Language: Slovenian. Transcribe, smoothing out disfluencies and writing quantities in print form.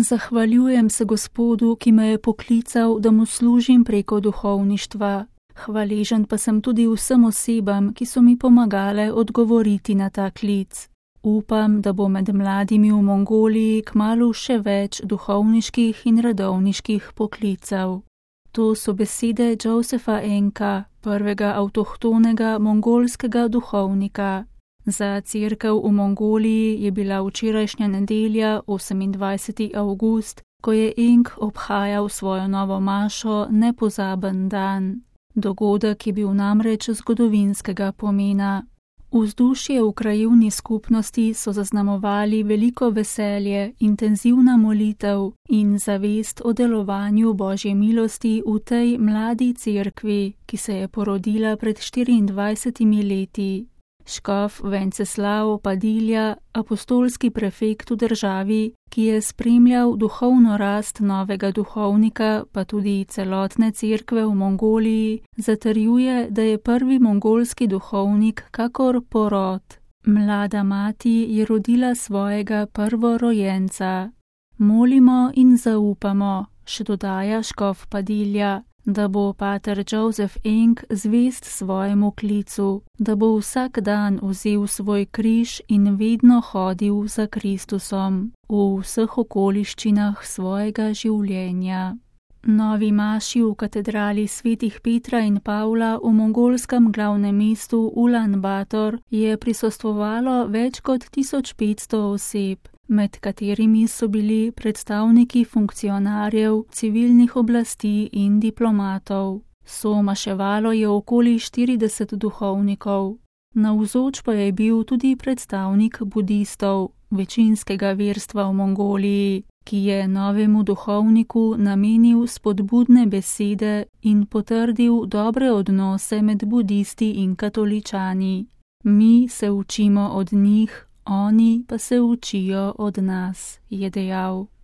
Zahvaljujem se Gospodu, ki me je poklical, da mu služim preko duhovništva. Hvaležen pa sem tudi vsem osebam, ki so mi pomagale odgovoriti na ta klic. Upam, da bo med mladimi v Mongoliji kmalu še več duhovniških in redovniških poklicev. To so besede Josepha Enka, prvega avtohtonega mongolskega duhovnika. Za cerkev v Mongoliji je bila včerajšnja nedelja, 28. avgust, ko je Enk obhajal svojo novo mašo, nepozaben dan. Dogodek je bil namreč zgodovinskega pomena. Vzdušje v krajevni skupnosti so zaznamovali veliko veselje, intenzivna molitev in zavest o delovanju Božje milosti v tej mladi cerkvi, ki se je porodila pred 24 leti. Škof Venceslav Padilja, apostolski prefekt v državi, ki je spremljal duhovno rast novega duhovnika, pa tudi celotne cerkve v Mongoliji, zatrjuje, da je prvi mongolski duhovnik kakor porod. Mlada mati je rodila svojega prvorojenca. Molimo in zaupamo, še dodaja škof Padilja, da bo pater Joseph Enk zvest svojemu klicu, da bo vsak dan vzel svoj križ in vedno hodil za Kristusom v vseh okoliščinah svojega življenja. Novi maši v katedrali svetih Petra in Pavla v mongolskem glavnem mestu Ulan Bator je prisostvovalo več kot 1500 oseb, med katerimi so bili predstavniki funkcionarjev, civilnih oblasti in diplomatov. Somaševalo je okoli 40 duhovnikov. Navzoč pa je bil tudi predstavnik budistov, večinskega verstva v Mongoliji, ki je novemu duhovniku namenil spodbudne besede in potrdil dobre odnose med budisti in katoličani. Mi se učimo od njih, oni pa se učijo od nas, je dejal.